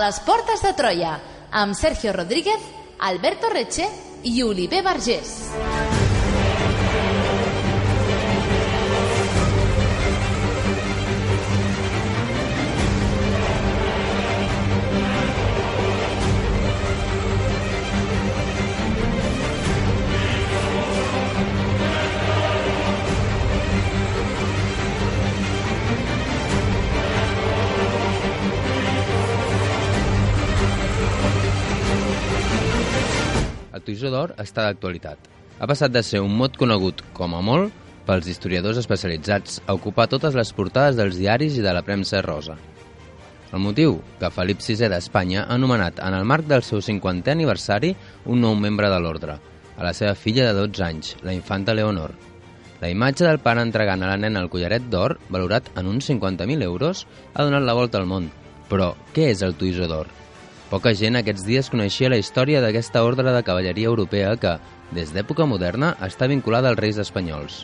les portes de Troia, amb Sergio Rodríguez, Alberto Reche i Oliver Vergés. El Toisó d'Or està d'actualitat. Ha passat de ser un mot conegut, com a molt, pels historiadors especialitzats a ocupar totes les portades dels diaris i de la premsa rosa. El motiu? Que Felip VI d'Espanya ha nomenat, en el marc del seu 50è aniversari, un nou membre de l'ordre, a la seva filla de 12 anys, la infanta Leonor. La imatge del pare entregant a la nena el collaret d'or, valorat en uns 50.000 euros, ha donat la volta al món. Però què és el Toisó d'Or? Poca gent aquests dies coneixia la història d'aquesta ordre de cavalleria europea que, des d'època moderna, està vinculada als reis espanyols.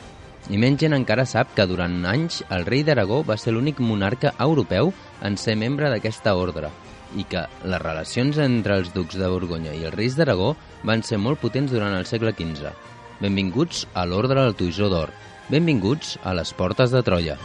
I menys gent encara sap que durant anys el rei d'Aragó va ser l'únic monarca europeu en ser membre d'aquesta ordre i que les relacions entre els ducs de Borgonya i els reis d'Aragó van ser molt potents durant el segle XV. Benvinguts a l'ordre del Toisó d'Or. Benvinguts a les portes de Troia.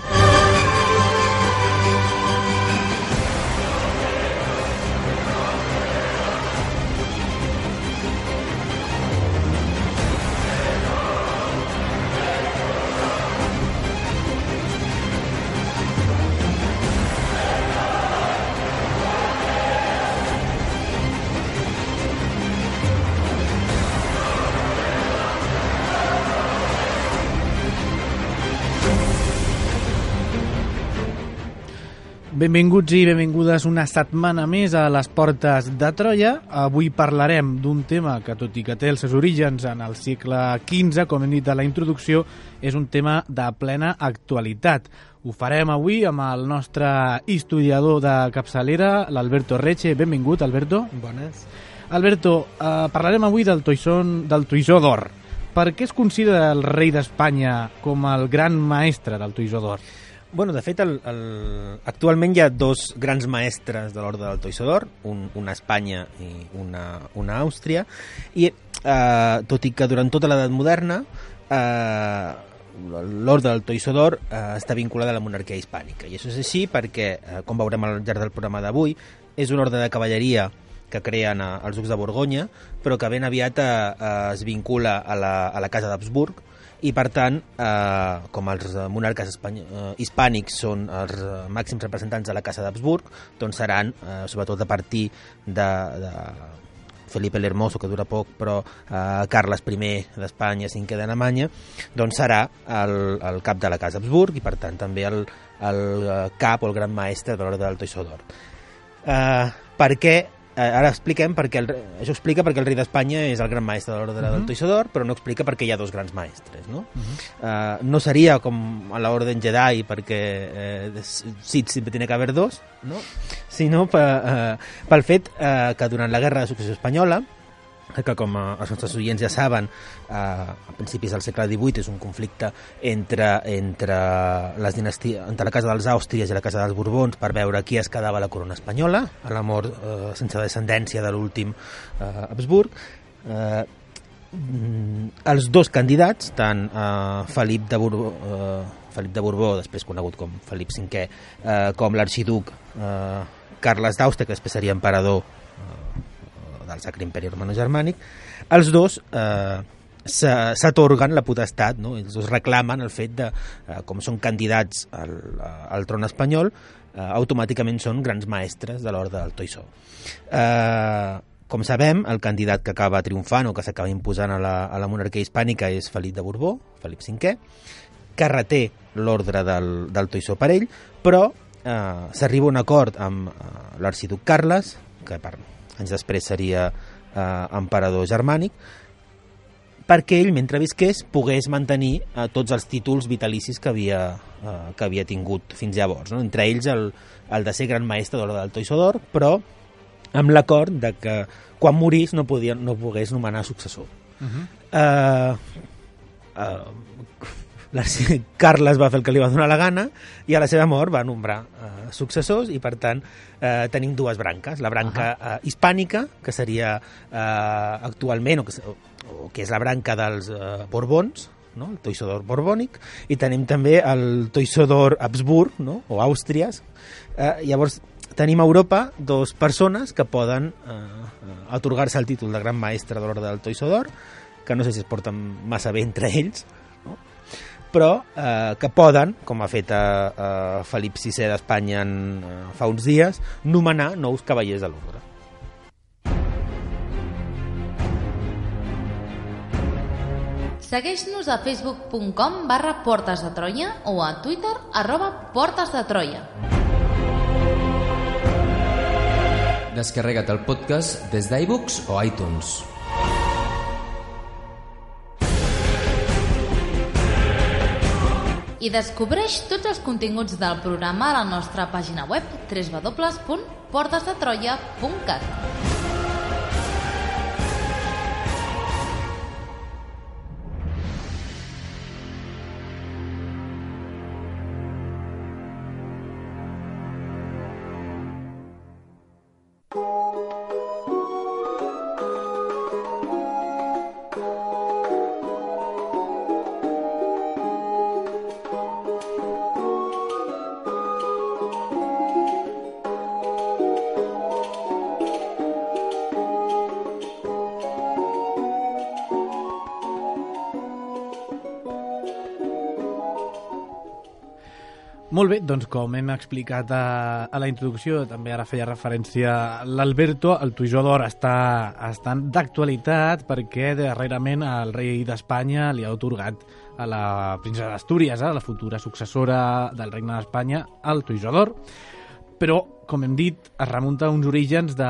Benvinguts i benvingudes una setmana més a les portes de Troia. Avui parlarem d'un tema que, tot i que té els seus orígens en el segle XV, com hem dit a la introducció, és un tema de plena actualitat. Ho farem avui amb el nostre historiador de capçalera, l'Alberto Reche. Benvingut, Alberto. Bones. Alberto, parlarem avui del Toisó d'Or. Per què es considera el rei d'Espanya com el gran maestre del Toisó d'Or? Bueno, de fet, actualment hi ha dos grans maestres de l'ordre del Toisó d'Or, una a Espanya i una a Àustria, i tot i que durant tota l'edat moderna l'ordre del Toisó d'Or està vinculada a la monarquia hispànica. I això és així perquè, com veurem al llarg del programa d'avui, és un ordre de cavalleria que creen els ducs de Borgonya, però que ben aviat es vincula a la casa d'Habsburg, i per tant, com els monarques hispànics són els màxims representants de la casa d'Habsburg, doncs seran, sobretot a partir de Felipe el Hermoso, que dura poc, però Carles I d'Espanya, cinquè d'Alemanya, doncs serà el cap de la casa Habsburg i per tant també el cap o el gran maestre de l'ordre del Toisó d'Or. Per què? Ara expliquem això explica perquè el rei d'Espanya és el gran maestre de l'ordre del Toisó d'Or, però no explica perquè hi ha dos grans maestres, no? No seria com a l'Orden Jedi perquè Sith sempre tiene que haver dos, no? Sinó pel fet que durant la Guerra de Successió Espanyola, que com els nostres oients ja saben, a principis del segle XVIII és un conflicte entre les dinasties, entre la casa dels Àustries i la casa dels Borbons per veure qui es quedava la corona espanyola a la mort sense descendència de l'últim Habsburg. Els dos candidats, tant Felip de Borbó, després conegut com Felip V, com l'arxiduc Carles d'Àustria, que després seria emperador del Sacre Imperi Romano-Germànic, els dos s'atorguen la potestat, no? Els dos reclamen el fet de, com són candidats al tron espanyol, automàticament són grans maestres de l'ordre del Toisó. Com sabem, el candidat que acaba triomfant o que s'acaba imposant a la monarquia hispànica és Felip de Borbó, Felip V, que reté l'ordre del Toisó per ell, però s'arriba a un acord amb l'arxiduc Carles, que anys després seria emperador germànic, perquè ell, mentre visqués, pogués mantenir tots els títols vitalicis que havia tingut fins llavors, no? Entre ells el de ser gran maestre de l'ordre del Toisó d'Or, però amb l'acord de que quan morís no pogués nomenar successor. Carles va fer el que li va donar la gana i a la seva mort va nombrar successors i, per tant, tenim dues branques. La branca hispànica, que seria actualment, o que és la branca dels Borbons, no? El Toisó d'Or borbònic, i tenim també el Toisó d'Or Habsburg, no? O Àustries. Llavors, tenim a Europa dos persones que poden atorgar-se el títol de Gran Maestre de l'Orde del Toisó d'Or, que no sé si es porten massa bé entre ells, no? Però que poden, com ha fet Felip VI d'Espanya fa uns dies, nomenar nous cavallers de l'ordre. Segueix-nos a facebook.com/Portes de Troia o a Twitter @Portes de Troia. Descarrega't el podcast des d'iVoox o iTunes. I descobreix tots els continguts del programa a la nostra pàgina web www.portesdetroia.cat. Molt bé, doncs com hem explicat a la introducció, també ara feia referència l'Alberto, el Toisó d'Or està d'actualitat perquè darrerament el rei d'Espanya li ha atorgat a la princesa d'Astúries, la futura successora del regne d'Espanya, el Toisó d'Or. Però, com hem dit, es remunta a uns orígens de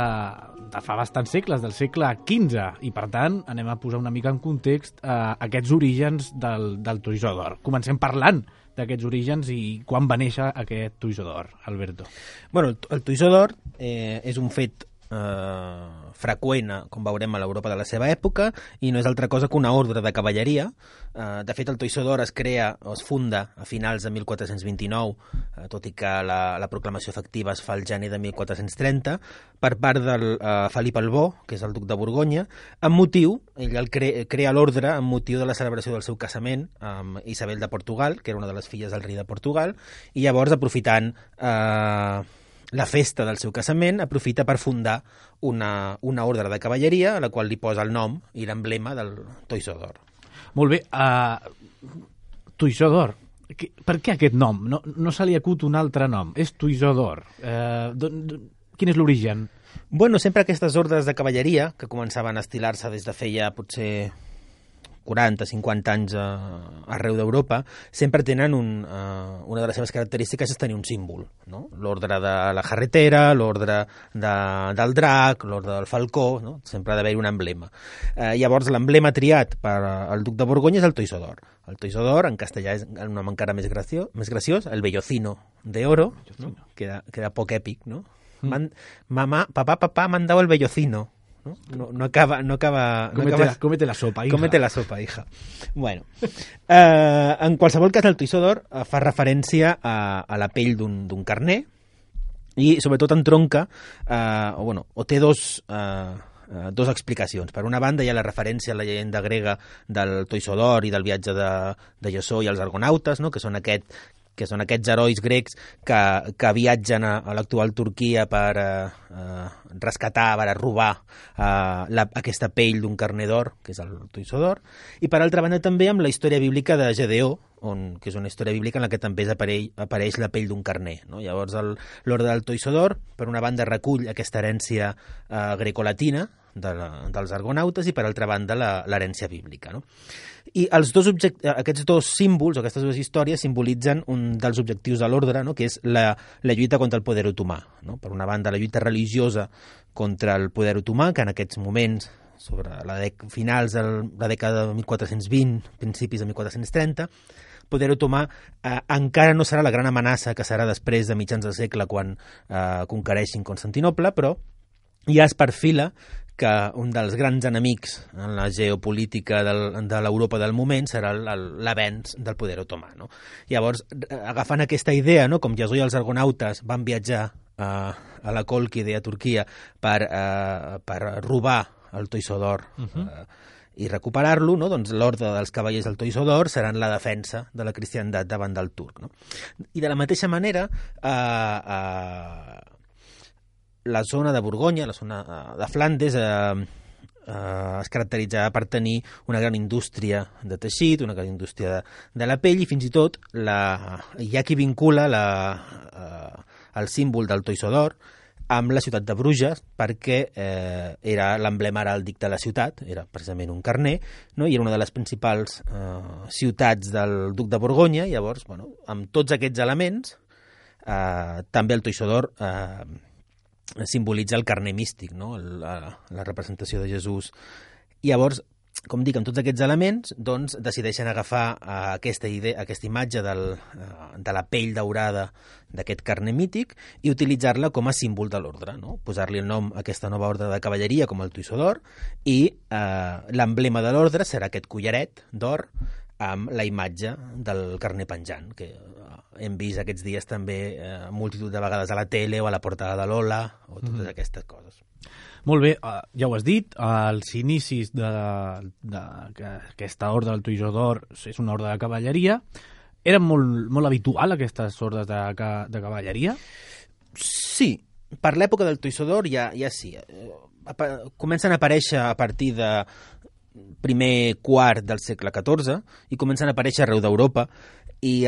fa bastants segles, del segle XV, i per tant anem a posar una mica en context aquests orígens del Toisó d'Or. Comencem parlant d'aquests orígens i quan va néixer aquest Toisó d'Or, Alberto. Bueno, el Toisó d'Or és un fet freqüent, com veurem, a l'Europa de la seva època, i no és altra cosa que una ordre de cavalleria. De fet, el Toisó d'Or es crea o es funda a finals de 1429, tot i que la proclamació efectiva es fa al gener de 1430, per part del Felip el Bo, que és el duc de Borgonya, ell crea l'ordre amb motiu de la celebració del seu casament amb Isabel de Portugal, que era una de les filles del rei de Portugal, i llavors, aprofitant la festa del seu casament, aprofita per fundar una ordre de cavalleria a la qual li posa el nom i l'emblema del Toisó d'Or. Molt bé, Toisó d'Or, per què aquest nom? No se li acut un altre nom, és Toisó d'Or. Quin és l'origen? Bueno, sempre aquestes ordres de cavalleria, que començaven a estilar-se des de feia potser 40-50 anys arreu d'Europa, sempre tenen una de les seves característiques és tenir un símbol, no? L'ordre de la jarretera, l'ordre del drac, l'ordre del falcó, no? Sempre ha d'haver un emblema. Llavors, l'emblema triat per al duc de Borgonya és el Toisó d'Or. El Toisó d'Or, en castellà, és un nom encara més graciós, el Vellocino de Oro, no? Queda poc èpic, no? Papá, m'han dado el Vellocino. No acaba... Cómete la sopa, hija. Cómete la sopa, hija. Bueno, en qualsevol cas, el Toisó d'Or fa referència a la pell d'un carner i, sobretot, entronca, o té dos explicacions. Per una banda, hi ha la referència a la llegenda grega del Toisó d'Or i del viatge de Jasó i els argonautes, no? que són aquests herois grecs que viatgen a l'actual Turquia per rescatar, per robar aquesta pell d'un carner d'or, que és el Toisó d'Or, i per altra banda també amb la història bíblica de Gedeó, que és una història bíblica en la que també apareix la pell d'un carner, no? Llavors l'ordre del Toisó d'Or, per una banda, recull aquesta herència grecolatina dels argonautes i per altra banda l'herència bíblica, no? I aquests dos símbols, o aquestes dues històries, simbolitzen un dels objectius de l'ordre, no? Que és la lluita contra el poder otomà, no? Per una banda, la lluita religiosa contra el poder otomà, que en aquests moments, sobre finals de la dècada de 1420, principis de 1430, poder otomà encara no serà la gran amenaça que serà després de mitjans del segle quan conquereixin Constantinoble, però ja es perfila que un dels grans enemics en la geopolítica de l'Europa del moment serà l'avenç del poder otomà. No? Llavors, agafant aquesta idea, no? Com Jesús i els argonautes van viatjar a la Còlquide, a Turquia, per robar el Toisó d'Or i recuperar-lo, no? Doncs l'ordre dels cavallers del Toisó d'Or seran la defensa de la cristiandat davant del turc. No? I de la mateixa manera, la zona de Borgonya, la zona de Flandes, es caracteritzava per tenir una gran indústria de teixit, una gran indústria de la pell, i fins i tot hi ha qui vincula el símbol del Toisó d'Or amb la ciutat de Bruges, perquè era l'emblema heràldic de la ciutat, era precisament un carner, no? I era una de les principals ciutats del duc de Borgonya. Llavors, bueno, amb tots aquests elements, també el Toisó d'Or simbolitza el carner místic, no? La representació de Jesús. Llavors, com dic, amb tots aquests elements, doncs, decideixen agafar aquesta imatge de la pell daurada d'aquest carner mític i utilitzar-la com a símbol de l'ordre, no? Posar-li el nom a aquesta nova ordre de cavalleria com el Toisó d'Or, i l'emblema de l'ordre serà aquest collaret d'or amb la imatge del carner penjant, que hem vist aquests dies també multitud de vegades a la tele o a la portada de l'Ola o totes aquestes coses. Molt bé, ja ho has dit, els inicis d'aquesta ordre del Toisó d'Or és una ordre de cavalleria. Eren molt habitual aquestes ordres de cavalleria? Sí, per l'època del Toisó d'Or ja sí. Comencen a aparèixer a partir de primer quart del segle XIV i comencen a aparèixer arreu d'Europa, i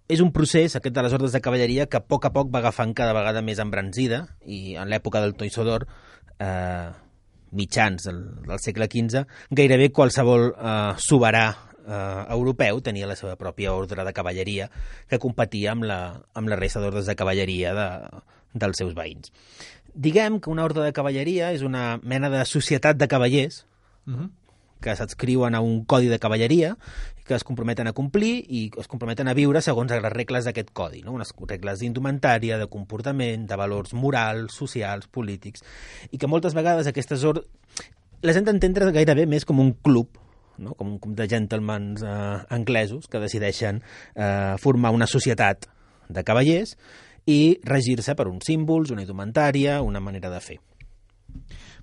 és un procés, aquest de les ordres de cavalleria, que a poc va agafant cada vegada més embranzida, i en l'època del Toisó d'Or, mitjans del segle XV, gairebé qualsevol soberà europeu tenia la seva pròpia ordre de cavalleria, que competia amb la resta d'ordres de cavalleria dels seus veïns. Diguem que una ordre de cavalleria és una mena de societat de cavallers que s'adscriuen a un codi de cavalleria, que es comprometen a complir i es comprometen a viure segons les regles d'aquest codi, no? Unes regles d'indumentària, de comportament, de valors morals, socials, polítics, i que moltes vegades aquestes les hem d'entendre gairebé més com un club, no? Com un club de gentlemans anglesos que decideixen formar una societat de cavallers i regir-se per uns símbols, una indumentària, una manera de fer.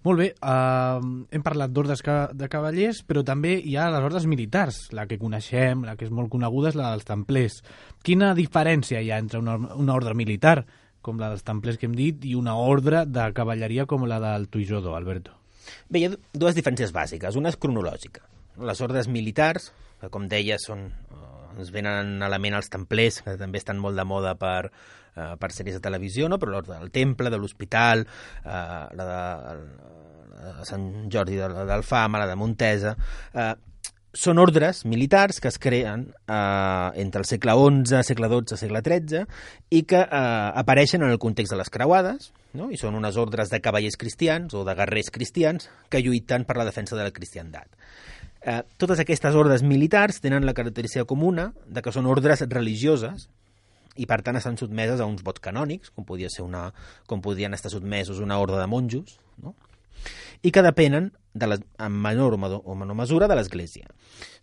Molt bé, hem parlat d'ordres de cavallers, però també hi ha les ordres militars, la que coneixem, la que és molt coneguda és la dels templers. Quina diferència hi ha entre una ordre militar, com la dels templers que hem dit, i una ordre de cavalleria com la del Toisó d'Or, Alberto? Bé, hi ha dues diferències bàsiques. Una és cronològica. Les ordres militars, que com deia ens venen a la ment els templers, que també estan molt de moda per sèries de televisió, no? Però l'ordre del Temple, de l'Hospital, la de Sant Jordi d'Alfama, la de Montesa, són ordres militars que es creen entre el segle XI, segle XII, segle XIII, i que apareixen en el context de les creuades, no? I són unes ordres de cavallers cristians o de guerrers cristians que lluiten per la defensa de la cristiandat. Totes aquestes ordres militars tenen la característica comuna de que són ordres religioses i per tant estan sotmeses a uns vots canònics, com podien estar sotmesos una ordre de monjos, no? I que depenen en menor o menor mesura de l'Església.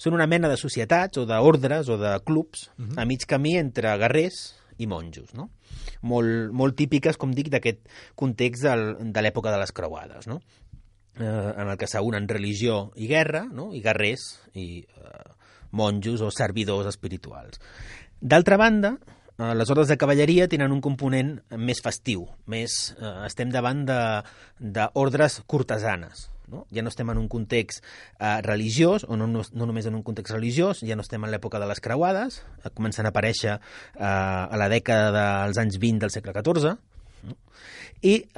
Són una mena de societats o d'ordres o de clubs a mig camí entre guerrers i monjos, no? Molt típiques, com dic, d'aquest context de l'època de les creuades, no? En el que s'unen religió i guerra, no? I guerrers i monjos o servidors espirituals. D'altra banda, les ordres de cavalleria tenen un component més festiu, estem davant d'ordres cortesanes, no? Ja no estem en un context religiós, o no només en un context religiós, ja no estem en l'època de les creuades, comencen a aparèixer a la dècada dels anys 20 del segle XIV, no? I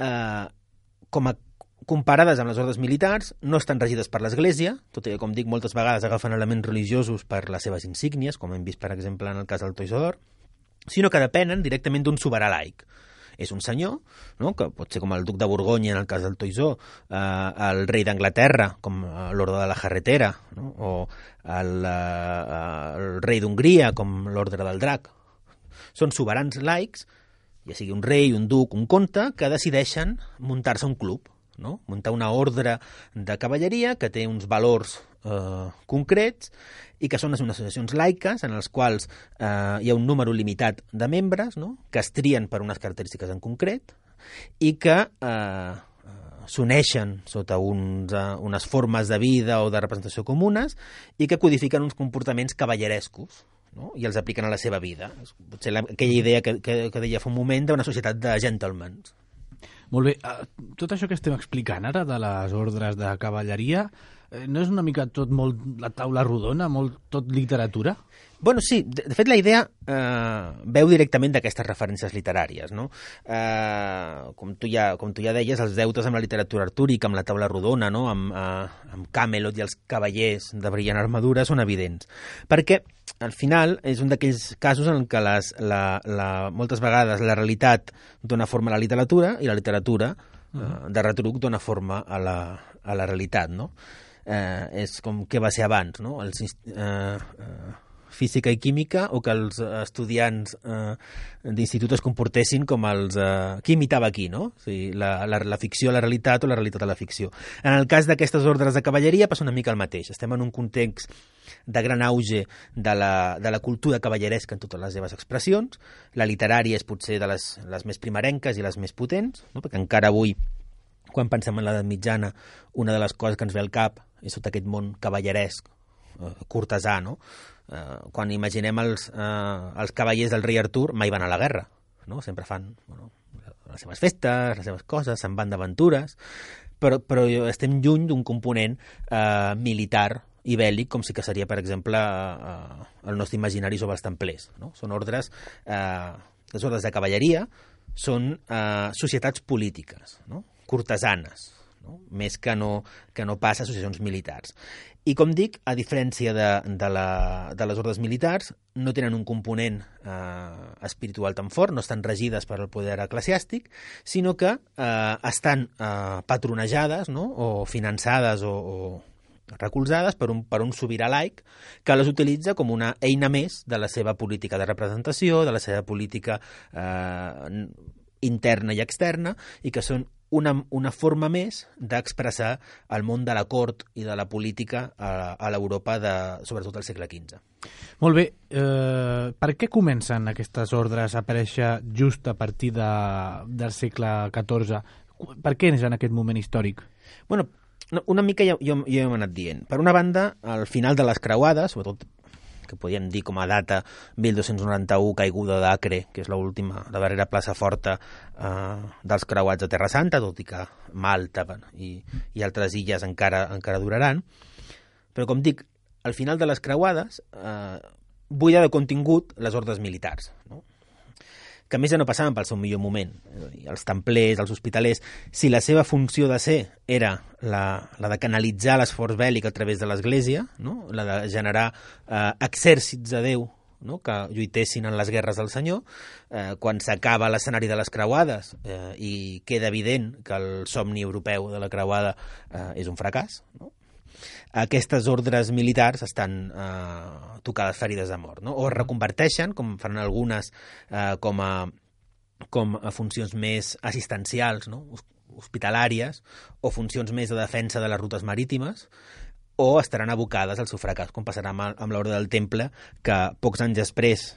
comparades amb les ordres militars, no estan regides per l'Església, tot i que, com dic, moltes vegades agafen elements religiosos per les seves insígnies, com hem vist, per exemple, en el cas del Toisó d'Or, sinó que depenen directament d'un soberà laic. És un senyor, no? Que pot ser com el duc de Borgonya en el cas del Toisó, el rei d'Anglaterra, com l'ordre de la Jarretera, no? O el rei d'Hongria, com l'ordre del Drac. Són soberans laics, ja sigui un rei, un duc, un comte, que decideixen muntar-se un club, no? Muntar una ordre de cavalleria que té uns valors concrets i que són unes associacions laiques en les quals hi ha un número limitat de membres, no? Que es trien per unes característiques en concret i que s'uneixen sota unes formes de vida o de representació comunes i que codifiquen uns comportaments cavallerescos, no? I els apliquen a la seva vida. Potser aquella idea que deia fa un moment d'una societat de gentlemen. Molt bé, tot això que estem explicant ara de les ordres de cavalleria, no és una mica tot molt la taula rodona, molt tot literatura? Bueno, sí, de fet la idea veu directament d'aquestes referències literàries, no? Com tu ja deies, els deutes amb la literatura artúrica, amb la taula rodona, no? Amb Camelot i els cavallers de brillant armadura són evidents. Perquè, al final, és un d'aquells casos en què moltes vegades la realitat dona forma a la literatura i la literatura de retruc dona forma a la realitat, no? És com què va ser abans, no? Física i química, o que els estudiants d'institut es comportessin com els... Qui imitava qui, no? O sigui, la ficció a la realitat o la realitat a la ficció. En el cas d'aquestes ordres de cavalleria passa una mica el mateix. Estem en un context de gran auge de la cultura cavalleresca en totes les seves expressions. La literària és potser de les més primerenques i les més potents, no? Perquè encara avui, quan pensem en l'edat mitjana, una de les coses que ens ve al cap és tot aquest món cavalleresc, cortesà, no? Quan imaginem els cavallers del rei Artur, mai van a la guerra, no? Sempre fan les seves festes, les seves coses, se'n van d'aventures, però estem lluny d'un component militar i bèl·lic, com sí que seria, per exemple, el nostre imaginari sobre els templers, no? Són ordres, les ordres de cavalleria són societats polítiques, no? Cortesanes, no? Més que no pas associacions militars. I com dic, a diferència de les ordres militars, no tenen un component espiritual tan fort, no estan regides per al poder eclesiàstic, sinó que estan patronejades, no? O finançades o recolzades per un sobirà laic que les utilitza com una eina més de la seva política de representació, de la seva política interna i externa, i que són una forma més d'expressar el món de la cort i de la política a l'Europa sobretot al segle XV. Molt bé. Per què comencen aquestes ordres a aparèixer just a partir del segle XIV? Per què és en aquest moment històric? Bueno, una mica jo hem anat dient. Per una banda, al final de les creuades, sobretot que podríem dir com a data 1291, caiguda d'Acre, que és la darrera plaça forta dels creuats de Terra Santa, tot i que Malta i altres illes encara duraran. Però, com dic, al final de les creuades buida de contingut les ordres militars, no? Que a més ja no passaven pel seu millor moment. Els templers, els hospitalers, si la seva funció de ser era la de canalitzar l'esforç bèl·lic a través de l'Església, no? La de generar exèrcits de Déu, no? Que lluitessin en les guerres del Senyor, quan s'acaba l'escenari de les creuades i queda evident que el somni europeu de la creuada és un fracàs, no? Aquestes ordres militars estan tocades ferides de mort, no? O es reconverteixen, com fan algunes, com a funcions més assistencials, no? Hospitalàries, o funcions més de defensa de les rutes marítimes, o estaran abocades al seu fracàs, com passarà amb l'Orde del Temple, que pocs anys després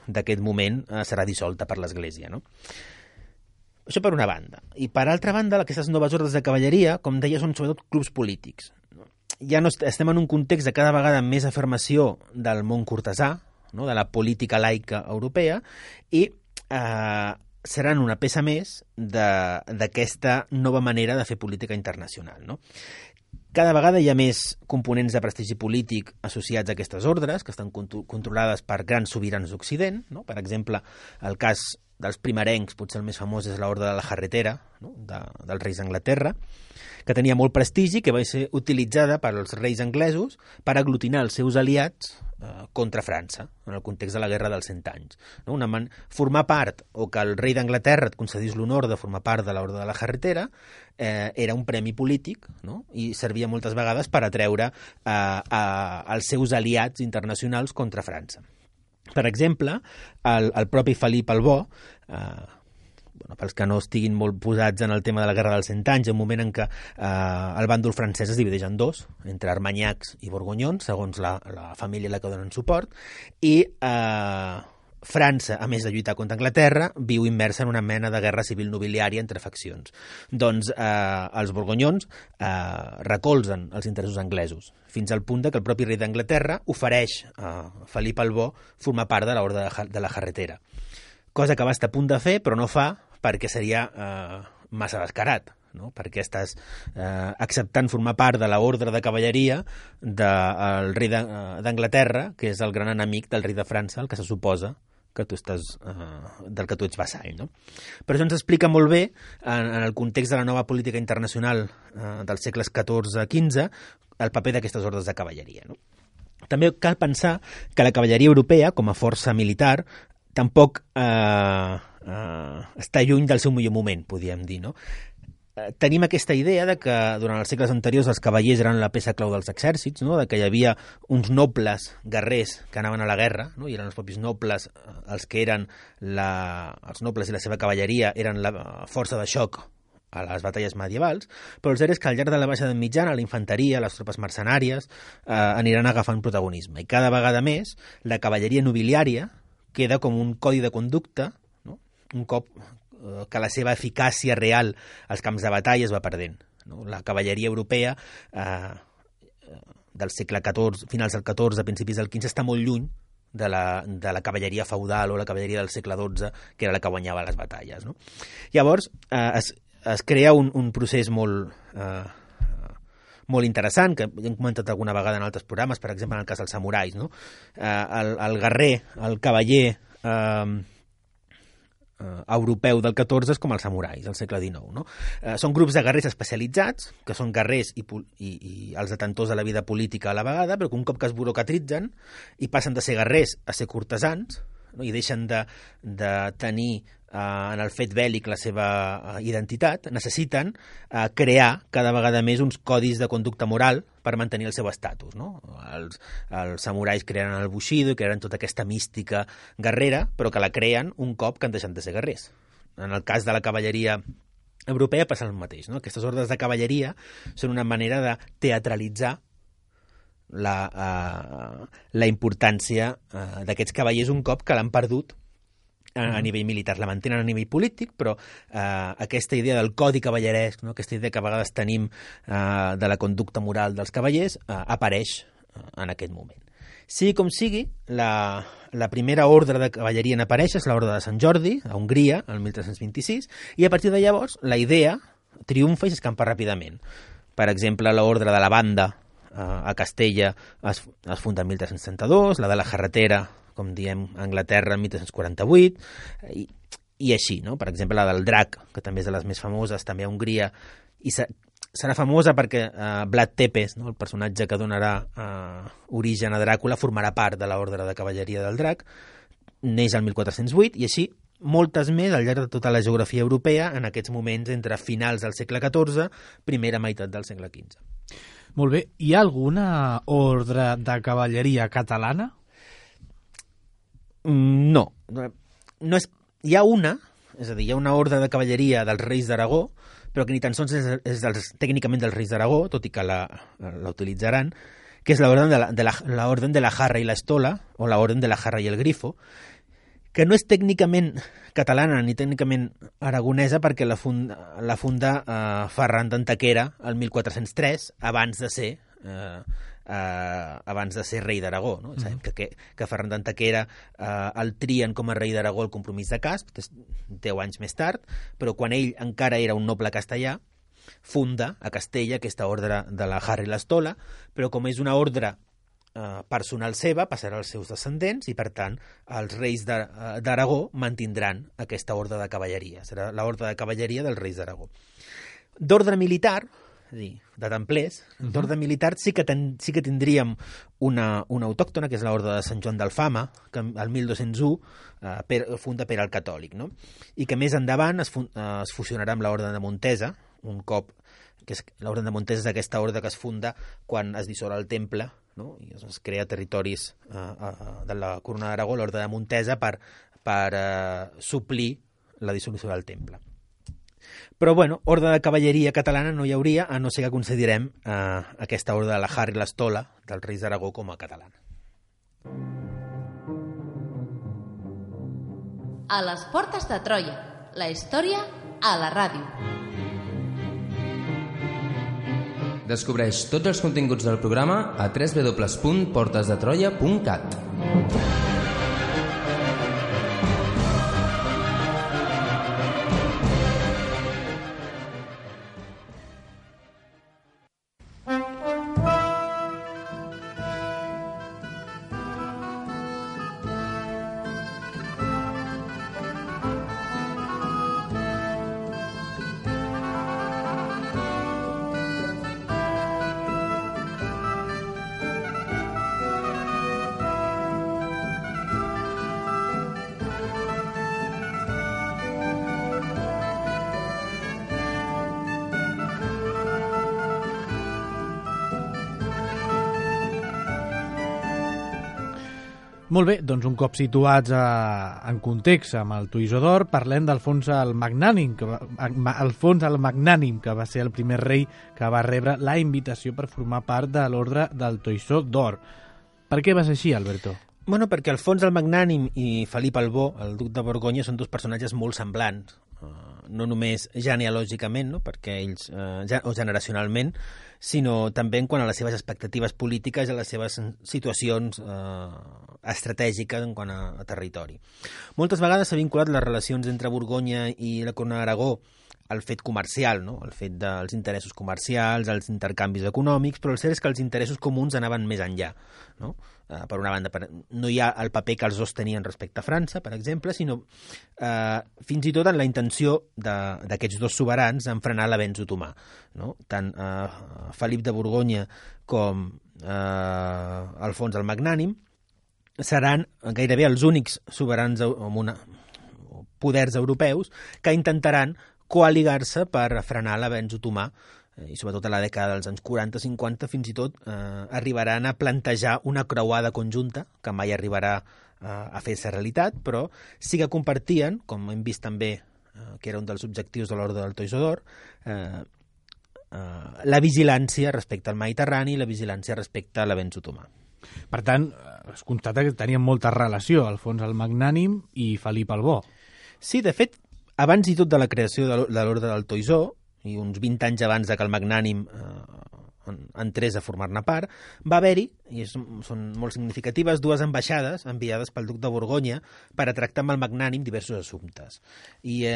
d'aquest moment serà dissolta per l'Església, no? Això per una banda. I per altra banda, aquestes noves ordres de cavalleria, com deia, són sobretot clubs polítics. Ja no estem en un context de cada vegada més afirmació del món cortesà, no? De la política laica europea, i seran una peça més d'aquesta nova manera de fer política internacional, no? Cada vegada hi ha més components de prestigi polític associats a aquestes ordres, que estan controlades per grans sobirans d'Occident, no? Per exemple, el cas dels primerencs, potser el més famós és l'Orde de la Jarretera, no? Dels reis d'Anglaterra, que tenia molt prestigi, que va ser utilitzada pels reis anglesos per aglutinar els seus aliats contra França, en el context de la Guerra dels 100 anys. No? Formar part, o que el rei d'Anglaterra et concedís l'honor de formar part de l'Orde de la Jarretera, era un premi polític, no? I servia moltes vegades per atreure els seus aliats internacionals contra França. Per exemple, el propi Felip el Bo, pels que no estiguin molt posats en el tema de la Guerra dels 100 anys, un moment en què el bàndol francès es divideix en dos, entre armanyacs i borgonyons, segons la família a la que donen suport, i França, a més de lluitar contra Anglaterra, viu immersa en una mena de guerra civil nobiliària entre faccions. Doncs els borgonyons recolzen els interessos anglesos, fins al punt que el propi rei d'Anglaterra ofereix a Felip el Bo formar part de l'Orde de la Jarretera. Cosa que va estar a punt de fer, però no fa, perquè seria massa descarat, no? Perquè estàs acceptant formar part de l'ordre de cavalleria del rei d'Anglaterra, que és el gran enemic del rei de França, el que se suposa que tu estàs, del que tu ets vassall, no? Però això ens explica molt bé, en el context de la nova política internacional dels segles XIV-XV, el paper d'aquestes ordres de cavalleria, no? També cal pensar que la cavalleria europea, com a força militar, tampoc està lluny del seu millor moment, podríem dir, no? Tenim aquesta idea de que durant els segles anteriors els cavallers eren la peça clau dels exèrcits, no? De que hi havia uns nobles guerrers que anaven a la guerra, no? I eren els propis nobles els que eren els nobles i la seva cavalleria eren la força de xoc a les batalles medievals, però el cert és que al llarg de la baixada mitjana la infanteria, les tropes mercenàries aniran agafant protagonisme, i cada vegada més la cavalleria nobiliària queda com un codi de conducta, no? Un cop que la seva eficàcia real als camps de batalla es va perdent, no? La cavalleria europea del segle XIV, finals del XIV, principis del XV, està molt lluny de la cavalleria feudal o la cavalleria del segle XII, que era la que guanyava les batalles, no? Llavors es crea un procés molt interessant, que hem comentat alguna vegada en altres programes, per exemple en el cas dels samurais, no? El guerrer, el cavaller europeu del XIV és com els samurais del segle XIX, no? Són grups de guerrers especialitzats, que són guerrers i els detentors de la vida política a la vegada, però que un cop que es burocratitzen i passen de ser guerrers a ser cortesans, no? I deixen de tenir en el fet bèl·lic la seva identitat, necessiten crear cada vegada més uns codis de conducta moral per mantenir el seu estatus, no? Els samurais creen el bushido i creen tota aquesta mística guerrera, però que la creen un cop que han deixat de ser guerrers. En el cas de la cavalleria europea passa el mateix, no? Aquestes ordres de cavalleria són una manera de teatralitzar la importància d'aquests cavallers un cop que l'han perdut a nivell militar. La mantenen a nivell polític, però aquesta idea del codi cavalleresc, no? Aquesta idea que a vegades tenim de la conducta moral dels cavallers, apareix en aquest moment. Sigui com sigui, la primera ordre de cavalleria en aparèixer és l'Orde de Sant Jordi, a Hongria, el 1326, i a partir de llavors la idea triomfa i s'escampa ràpidament. Per exemple, l'Ordre de la Banda a Castella es funda el 1332, la de la Jarretera, com diem, a Anglaterra, el 1348, i així, no? Per exemple, la del Drac, que també és de les més famoses, també a Hongria, i serà famosa perquè Vlad Tepes, no? El personatge que donarà origen a Dràcula, formarà part de l'ordre de cavalleria del Drac, neix el 1408, i així moltes més al llarg de tota la geografia europea en aquests moments entre finals del segle XIV, primera meitat del segle XV. Molt bé. Hi ha alguna ordre de cavalleria catalana? No és, hi ha una, és a dir, hi ha una ordre de cavalleria dels reis d'Aragó, però que ni tan sols és tècnicament dels reis d'Aragó, tot i que la utilitzaran, que és l'Orden de la Jarra i l'Estola, o l'Orden de la Jarra i el Grifo, que no és tècnicament catalana ni tècnicament aragonesa perquè la funda Ferran d'Antequera el 1403, abans de ser rei d'Aragó, no? Sabem que Ferran d'Antequera el trien com a rei d'Aragó al Compromís de Casp, 10 anys més tard, però quan ell encara era un noble castellà, funda a Castella aquesta ordre de la Jarra i l'Estola, però com és una ordre personal seva, passarà als seus descendents i, per tant, els reis d'Aragó mantindran aquesta ordre de cavalleria. Serà l'ordre de cavalleria dels reis d'Aragó. D'ordre militar, és a dir, de templers, d'ordre militar sí que tindríem una autòctona, que és l'ordre de Sant Joan d'Alfama, que el 1201 funda Pere el Catòlic, no? I que més endavant es fusionarà amb l'ordre de Montesa, un cop, que l'ordre de Montesa és aquesta ordre que es funda quan es dissol el temple, no? I es crea territoris de la Corona d'Aragó, l'ordre de Montesa, per suplir la dissolució del temple. Però, bueno, ordre de cavalleria catalana no hi hauria, a no ser que considerem aquesta ordre de la Har i l'Estola dels reis d'Aragó com a catalana. A les portes de Troia, la història a la ràdio. Descobreix tots els continguts del programa a www.portesdetroia.cat. Molt bé, doncs un cop situats en context amb el Toisó d'Or, parlem d'Alfons el Magnànim, que va ser el primer rei que va rebre la invitació per formar part de l'ordre del Toisó d'Or. Per què va ser així, Alberto? Bueno, perquè Alfons el Magnànim i Felip el Bo, el duc de Borgonya, són dos personatges molt semblants, no només genealògicament, no? Perquè ells, o generacionalment, sinó també en quant a les seves expectatives polítiques i a les seves situacions estratègiques en quant a territori. Moltes vegades s'ha vinculat les relacions entre Borgonya i la Corona d'Aragó al fet comercial, no? El fet dels interessos comercials, els intercanvis econòmics, però el cert és que els interessos comuns anaven més enllà, no? Per una banda, no hi ha el paper que els dos tenien respecte a França, per exemple, sinó fins i tot en la intenció d'aquests dos soberans en frenar l'avenç otomà, no? Tant Felip de Borgonya com Alfons el Magnànim seran gairebé els únics soberans amb poders europeus que intentaran coaligar-se per frenar l'avenç otomà, i sobretot a la dècada dels anys 40-50 fins i tot arribaran a plantejar una creuada conjunta que mai arribarà a fer-se realitat, però sí que compartien, com hem vist també que era un dels objectius de l'Orde del Toisó d'Or, la vigilància respecte al Mediterrani i la vigilància respecte a l'avenç otomà. Per tant, es constata que tenien molta relació Alfons el Magnànim i Felip el Bo. Sí, de fet, abans i tot de la creació de l'Orde del Toisó, i uns 20 anys abans que el Magnànim entrés a formar-ne part, va haver-hi, i són molt significatives, dues ambaixades enviades pel duc de Borgonya per a tractar amb el Magnànim diversos assumptes. I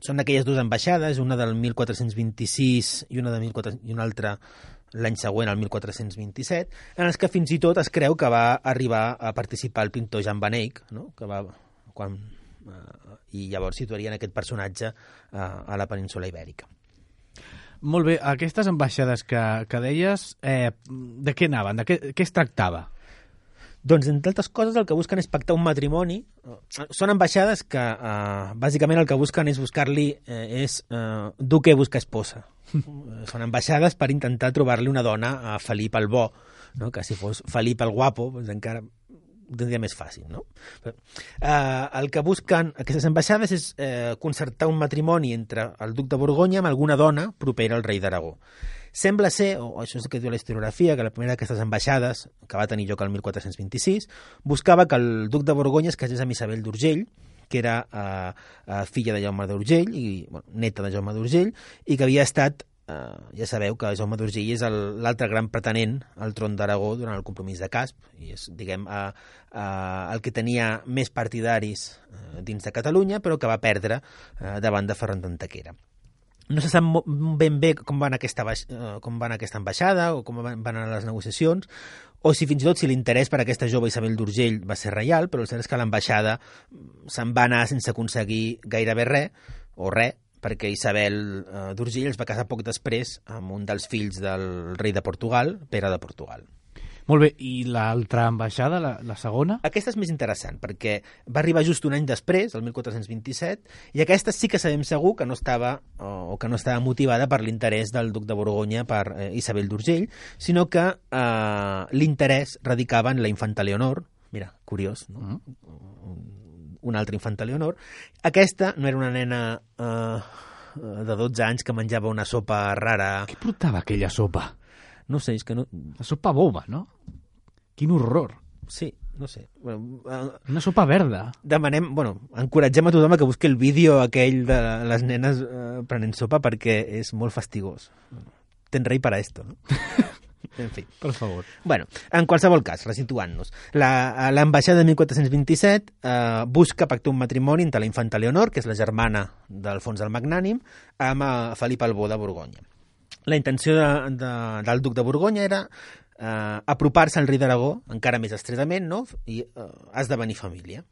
són aquelles dues ambaixades, una del 1426 i una altra l'any següent, el 1427, en les que fins i tot es creu que va arribar a participar el pintor Jan van Eyck, no? I llavors situarien aquest personatge a la península Ibèrica. Molt bé, aquestes ambaixades que deies, de què anaven? De què es tractava? Doncs, entre altres coses, el que busquen és pactar un matrimoni. Són ambaixades que, bàsicament, el que busquen és buscar-li, duque busca esposa. Són ambaixades per intentar trobar-li una dona a Felip el Bo, no? Que si fos Felip el Guapo, doncs encara tindria més fàcil, no? El que busquen aquestes ambaixades és concertar un matrimoni entre el duc de Borgonya amb alguna dona propera al rei d'Aragó. Sembla ser, o això és el que diu la historiografia, que la primera d'aquestes ambaixades, que va tenir lloc el 1426, buscava que el duc de Borgonya es casés amb Isabel d'Urgell, que era filla de Jaume d'Urgell, i neta de Jaume d'Urgell, i que havia estat, ja sabeu que Jaume d'Urgell és l'altre gran pretenent al tron d'Aragó durant el compromís de Casp, i és, diguem, el que tenia més partidaris dins de Catalunya, però que va perdre davant de Ferran d'Antequera. No se sap ben bé com va anar aquesta ambaixada o com van anar les negociacions, o si fins i tot si l'interès per aquesta jove Isabel d'Urgell va ser reial, però el cert és que l'ambaixada se'n va anar sense aconseguir gairebé res, o res, perquè Isabel d'Urgell es va casar poc després amb un dels fills del rei de Portugal, Pere de Portugal. Molt bé, i l'altra ambaixada, la segona? Aquesta és més interessant, perquè va arribar just un any després, el 1427, i aquesta sí que sabem segur que no estava motivada per l'interès del duc de Borgonya per Isabel d'Urgell, sinó que l'interès radicava en la infanta Leonor, mira, curiós, no? una altra infanta Leonor. Aquesta no era una nena de 12 anys que menjava una sopa rara. Què portava aquella sopa? No sé, és que no... La sopa boba, no? Quin horror. Sí, no sé. Bueno, Una sopa verda. demanem, encoratgem a tothom a que busqui el vídeo aquell de les nenes prenent sopa perquè és molt fastigós. Tens rei para esto, no? En fi. Per favor. Bueno, en qualsevol cas, resituant-nos, l'ambaixada de 1427 busca pactar un matrimoni entre la infanta Leonor, que és la germana d'Alfons el Magnànim, amb Felip el Bo de Borgonya. La intenció del duc de Borgonya era apropar-se al rei d'Aragó encara més estretament, no? I esdevenir família.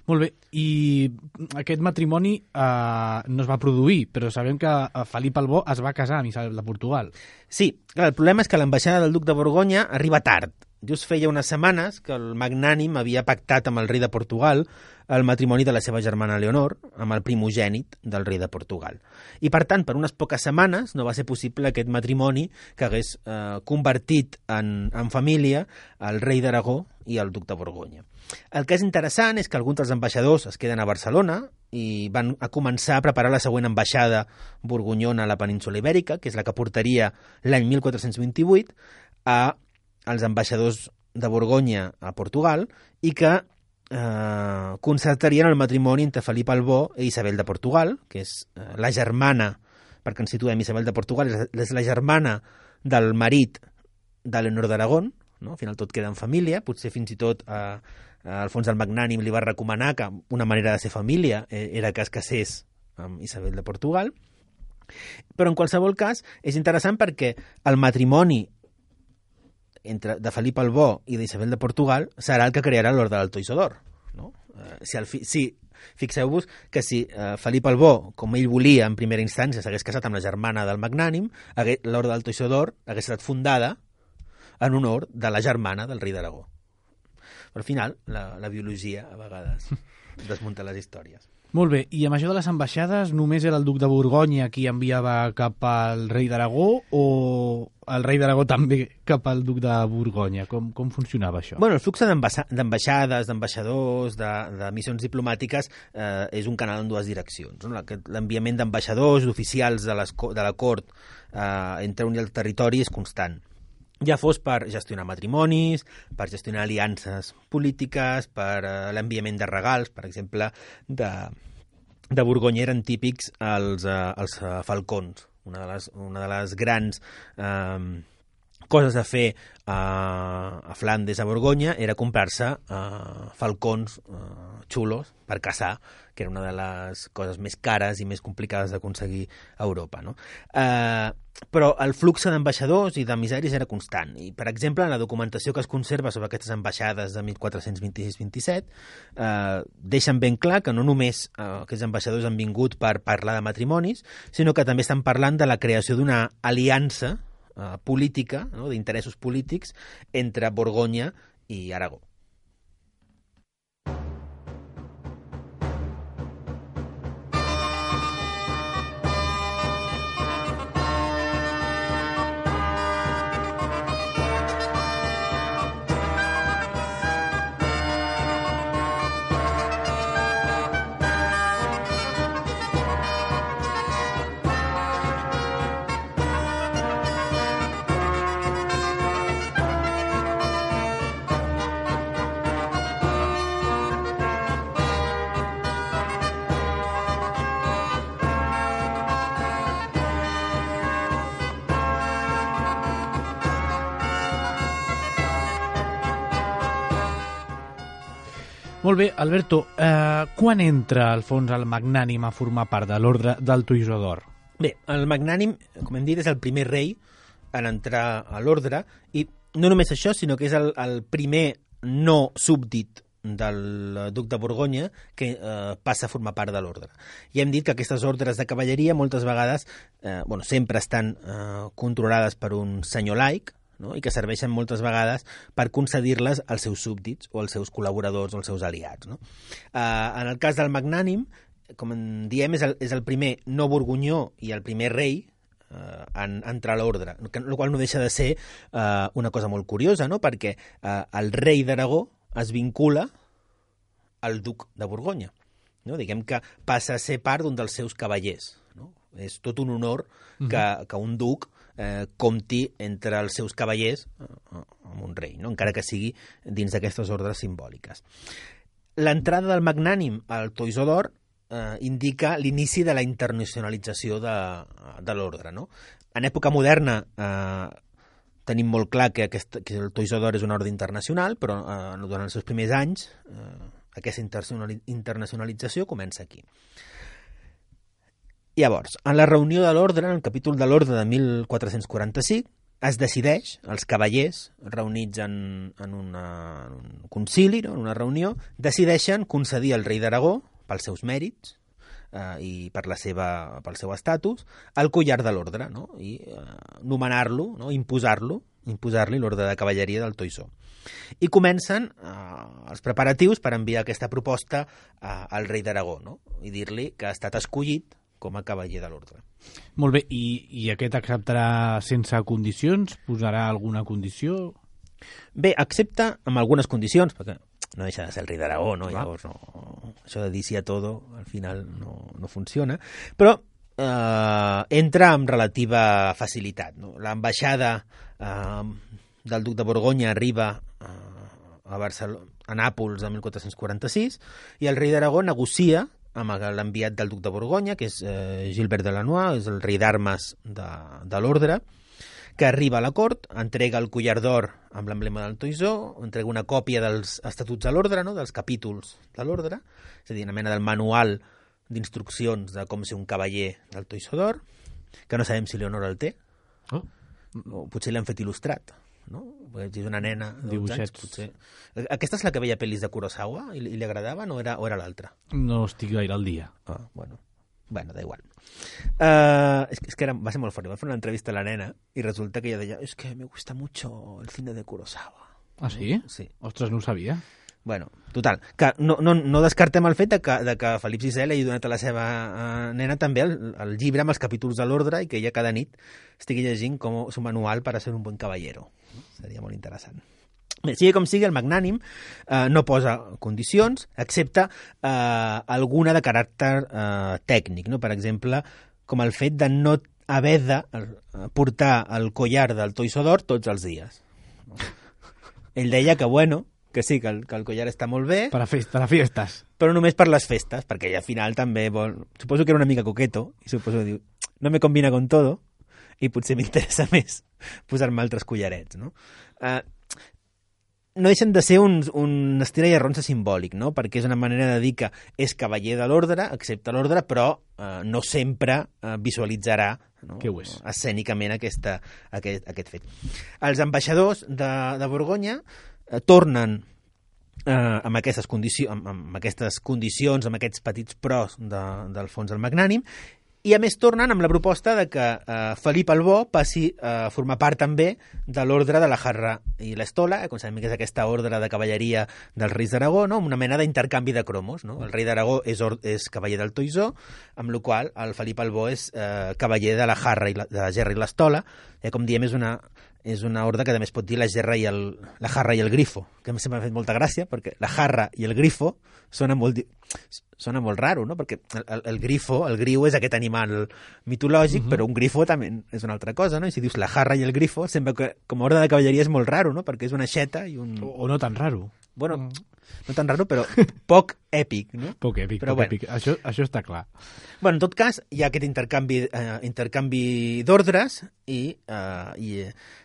Molt bé, i aquest matrimoni no es va produir, però sabem que Felip el Bo es va casar amb Isabel de Portugal. Sí, clar, el problema és que l'ambaixada del duc de Borgonya arriba tard. Just feia unes setmanes que el Magnànim havia pactat amb el rei de Portugal el matrimoni de la seva germana Leonor amb el primogènit del rei de Portugal. I, per tant, per unes poques setmanes no va ser possible aquest matrimoni que hagués convertit en família el rei d'Aragó i el duc de Borgonya. El que és interessant és que alguns dels ambaixadors es queden a Barcelona i van a començar a preparar la següent ambaixada borgonyona a la península Ibèrica, que és la que portaria l'any 1428 als ambaixadors de Borgonya a Portugal i que concertarien el matrimoni entre Felip el Bo i Isabel de Portugal, que és la germana, perquè ens situem, Isabel de Portugal és la germana del marit de Leonor d'Aragón, no? Al final tot queda en família, potser fins i tot Alfons el Magnànim li va recomanar que una manera de ser família era que es casés amb Isabel de Portugal, però en qualsevol cas és interessant perquè el matrimoni de Felip el Bo i d'Isabel de Portugal serà el que crearà l'Orde d'Alto Isodor, no? Fixeu-vos que si Felip el Bo, com ell volia en primera instància, s'hagués casat amb la germana del Magnànim, l'Orde d'Alto Isodor hagués estat fundada en honor de la germana del rei d'Aragó. Però al final, la biologia a vegades desmunta les històries. Molt bé, i amb això de les ambaixades només era el duc de Borgonya qui enviava cap al rei d'Aragó o el rei d'Aragó també cap al duc de Borgonya? Com funcionava això? Bueno, el flux d'ambaixades, d'ambaixadors, de missions diplomàtiques és un canal en dues direccions. No? L'enviament d'ambaixadors, d'oficials de la cort entre un i el territori és constant. Ja fos per gestionar matrimonis, per gestionar aliances polítiques, per l'enviament de regals, per exemple, de Borgonya eren típics els falcons. Una de les grans coses a fer a Flandes, a Borgonya, era comprar-se falcons xulos per caçar, que era una de les coses més cares i més complicades d'aconseguir a Europa, no? Però el flux d'ambaixadors i d'emissaris era constant. I, per exemple, en la documentació que es conserva sobre aquestes ambaixades de 1426-27 deixen ben clar que no només aquests ambaixadors han vingut per parlar de matrimonis, sinó que també estan parlant de la creació d'una aliança política, no? D'interessos polítics entre Borgonya i Aragó. Molt bé, Alberto, quan entra Alfons el Magnànim a formar part de l'Orde d'Alto Isodor? Bé, el Magnànim, com hem dit, és el primer rei en entrar a l'ordre, i no només això, sinó que és el primer no súbdit del duc de Borgonya que passa a formar part de l'ordre. Ja hem dit que aquestes ordres de cavalleria moltes vegades, sempre estan controlades per un senyor laic, no? I que serveixen moltes vegades per concedir-les als seus súbdits o als seus col·laboradors o als seus aliats, no? En el cas del Magnànim, com en diem, és el primer no borgonyó i el primer rei en entrar a l'ordre, el qual no deixa de ser una cosa molt curiosa, no? Perquè el rei d'Aragó es vincula el duc de Borgonya. No? Diguem que passa a ser part d'un dels seus cavallers. No? És tot un honor que un duc compti entre els seus cavallers amb un rei, no? Encara que sigui dins d'aquestes ordres simbòliques. L'entrada del magnànim al Toisó d'Or indica l'inici de la internacionalització de l'ordre. No? En època moderna tenim molt clar que el Toisó d'Or és una ordre internacional, però durant els seus primers anys aquesta internacionalització comença aquí. Llavors, en la reunió de l'ordre, en el capítol de l'ordre de 1445, es decideix, els cavallers reunits en un concili, no? En una reunió, decideixen concedir al rei d'Aragó, pels seus mèrits i pel seu estatus, el collar de l'ordre, no? I nomenar-lo, no? imposar-li l'ordre de cavalleria del Toisó. I comencen els preparatius per enviar aquesta proposta al rei d'Aragó, no? I dir-li que ha estat escollit com a cavaller de l'ordre. Molt bé, i aquest acceptarà sense condicions? Posarà alguna condició? Bé, accepta amb algunes condicions, perquè no deixa de ser el rei d'Aragó, no? Llavors, això de dir sí a todo, al final no funciona, però entra amb relativa facilitat. No? L'ambaixada del duc de Borgonya arriba a Nàpols el 1446 i el rei d'Aragó negocia amb l'enviat del duc de Borgonya, que és Gilbert de Lanois, és el rei d'armes de l'ordre, que arriba a la cort, entrega el collar d'or amb l'emblema del Toisó, entrega una còpia dels estatuts de l'ordre, no? Dels capítols de l'ordre, és a dir, una mena del manual d'instruccions de com ser un cavaller del Toisó d'Or, que no sabem si Leonor el té, o potser l'han fet il·lustrat, no? És una nena de 12 anys, potser. Aquesta és la que veia pel·lis de Kurosawa i li agradaven o era l'altra? No estic gaire al dia. Bueno, da igual. Es que va ser molt fort. Va fer una entrevista a la nena i resulta que ella deia es que me gusta mucho el cine de Kurosawa. ¿Ah, sí? Sí. Ostres, no ho sabia. Bueno, total, que no descartem el fet de que Felip VI li hagi donat a la seva nena també el llibre amb els capítols de l'ordre i que ella cada nit estigui llegint com su manual per a ser un bon caballero. Seria molt interessant. Bé, sigui com sigui, el magnànim no posa condicions, excepte alguna de caràcter tècnic, no? Per exemple, com el fet de no haver de portar el collar del Toisó d'Or tots els dies. Ell deia que, bueno, que sí, que el collar està molt bé. Per a festes. Però només per les festes, perquè ell al final també vol... Suposo que era una mica coqueto, i suposo que diu, no me combina con todo, i potser m'interessa més posar-me altres collarets, no? No deixen de ser un estira i arronsa simbòlic, no? Perquè és una manera de dir que és cavaller de l'ordre, accepta l'ordre, però no sempre visualitzarà, no? Escènicament aquest fet. Els ambaixadors de Borgonya tornen amb aquestes condicions, amb aquests petits pros del fons del magnànim, i a més tornen amb la proposta de que Felip el Bo passi a formar part també de l'ordre de la Jarra i l'Estola, com sabem que és aquesta ordre de cavalleria dels reis d'Aragó, no? Una mena d'intercanvi de cromos. No? El rei d'Aragó és cavaller del Toisó, amb la qual el Felip el Bo és cavaller de la Jarra i de la Gerra i l'Estola. Com diem, és una ordre que també es pot dir la Jarra i el Grifo, que sempre m'ha fet molta gràcia, perquè la Jarra i el Grifo sona molt raro, no? Perquè el griu és aquest animal mitològic, però un grifo també és una altra cosa, no? I si dius la Jarra i el Grifo, sembla que com a ordre de cavalleria és molt raro, no? Perquè és una aixeta i un... O no tan raro. Bueno, no tan raro, però poc èpic, no? Poc èpic. Això està clar. Bueno, en tot cas, hi ha aquest intercanvi d'ordres i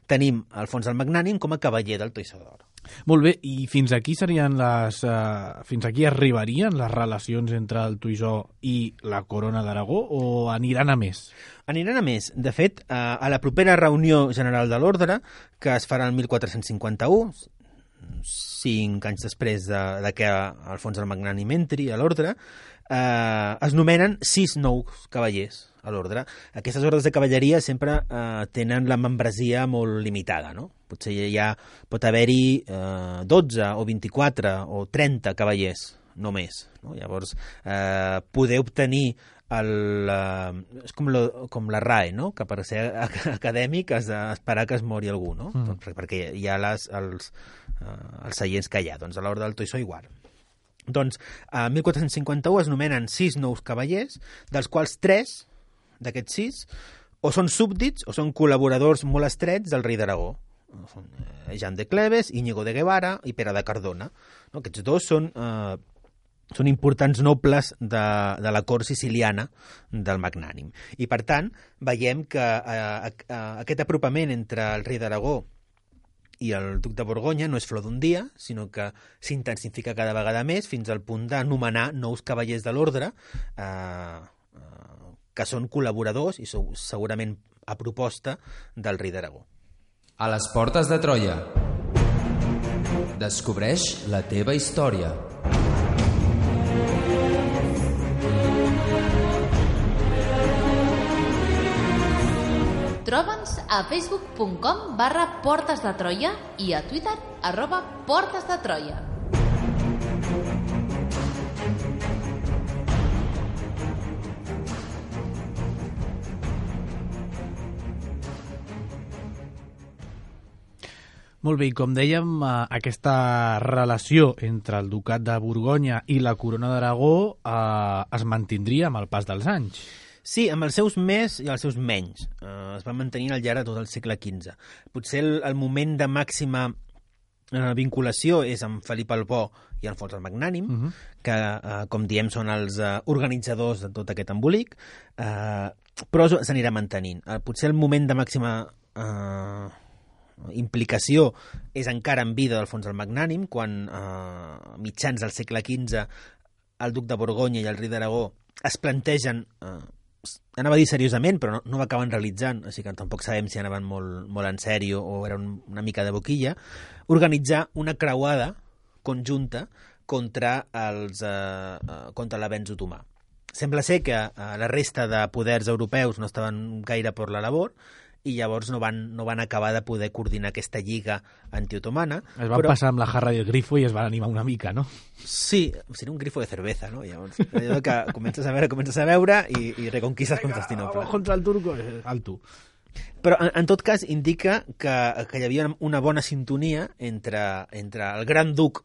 tenim Alfons el Magnànim com a cavaller del Toisó d'Or. Molt bé, i fins aquí fins aquí arribarien les relacions entre el Toisó i la Corona d'Aragó, o aniran a més? Aniran a més. De fet, a la propera reunió general de l'ordre, que es farà el 1451, 5 anys després de que Alfons el Magnànim entri a l'ordre, es nomenen 6 nous cavallers a l'ordre. Aquestes ordres de cavalleria sempre tenen la membresia molt limitada, no? Potser ja pot haver-hi 12 o 24 o 30 cavallers, no més. No? Llavors, poder obtenir és com la RAE, no? Que per ser acadèmic has d'esperar que es mori algú, no? Perquè hi ha els seients que hi ha. Doncs a l'ordre del Toisó igual. Doncs, a 1451 es nomenen 6 nous cavallers, dels quals 3 d'aquests 6 o són súbdits o són col·laboradors molt estrets del rei d'Aragó. Són Jean de Cleves, Íñigo de Guevara i Pere de Cardona. No? Aquests dos són importants nobles de la cort siciliana del Magnànim. I, per tant, veiem que aquest apropament entre el rei d'Aragó i el duc de Borgonya no és flor d'un dia, sinó que s'intensifica cada vegada més fins al punt d'anomenar nous cavallers de l'ordre que són col·laboradors i segurament a proposta del rei d'Aragó. A les portes de Troia. Descobreix la teva història. Troba'ns a facebook.com/Portes de Troia i a Twitter @Portes de Troia. Molt bé, i com dèiem, aquesta relació entre el Ducat de Borgonya i la Corona d'Aragó es mantindria amb el pas dels anys. Sí, amb els seus més i els seus menys. Es va mantenir al llarg de tot el segle XV. Potser el moment de màxima vinculació és amb Felip el Bo i Alfons el Magnànim, que, com diem, són els organitzadors de tot aquest embolic, però s'anirà mantenint. Potser el moment de màxima implicació és encara en vida d'Alfons el Magnànim, quan mitjans del segle XV el duc de Borgonya i el rei d'Aragó es plantegen, anava a dir seriosament, però no ho acaben realitzant, així que tampoc sabem si anaven molt en sèrio o era una mica de boquilla, organitzar una creuada conjunta contra l'avenç otomà. Sembla ser que la resta de poders europeus no estaven gaire per la labor i llavors no van acabar de poder coordinar aquesta lliga antiotomana. Es van passar amb la jarra i el grifo i es van animar una mica, no? Sí, seria un grifo de cerveza, no? Llavors, allò que comences a veure i reconquistes Constantinople. Contra el turco, alto. Però, en tot cas, indica que hi havia una bona sintonia entre el gran duc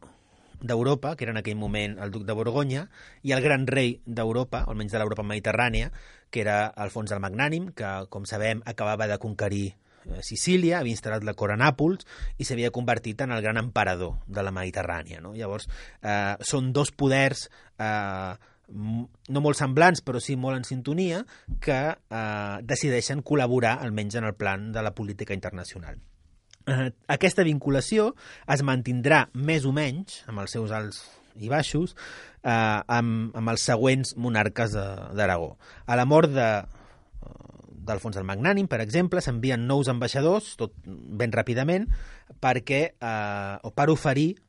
d'Europa, que era en aquell moment el duc de Borgonya, i el gran rei d'Europa, almenys de l'Europa mediterrània, que era Alfons el Magnànim, que, com sabem, acabava de conquerir Sicília, havia instal·lat la cort a Nàpols i s'havia convertit en el gran emperador de la Mediterrània. No? Llavors, són dos poders no molt semblants, però sí molt en sintonia, que decideixen col·laborar, almenys en el plan de la política internacional. Aquesta vinculació es mantindrà més o menys, amb els seus alts i baixos, amb els següents monarques d'Aragó. A la mort d'Alfons el Magnànim, per exemple, s'envien nous ambaixadors, tot ben ràpidament, per oferir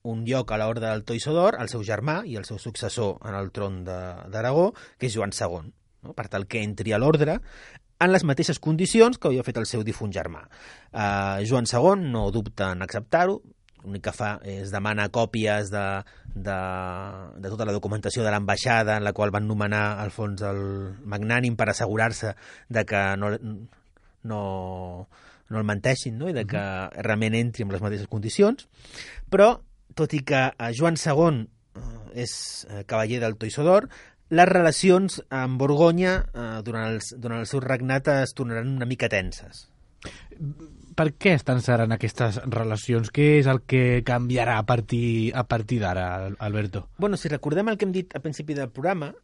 un lloc a l'Horda del Toisó d'Or al seu germà i al seu successor en el tron d'Aragó, que és Joan II, no? Per tal que entri a l'ordre en les mateixes condicions que havia fet el seu difunt germà. Joan II no dubta en acceptar-ho, l'únic que fa és demanar còpies de tota la documentació de l'ambaixada en la qual van nomenar Alfons el Magnànim per assegurar-se de que no el menteixin, no? I de que realment entri en les mateixes condicions. Però, tot i que Joan II és cavaller del Toisó d'Or, les relacions amb Borgonya durant el seu regnat es tornaran una mica tenses. Per què es tensaran aquestes relacions? Què és el que canviarà a partir d'ara, Alberto? Bueno, si recordem el que hem dit al principi del programa,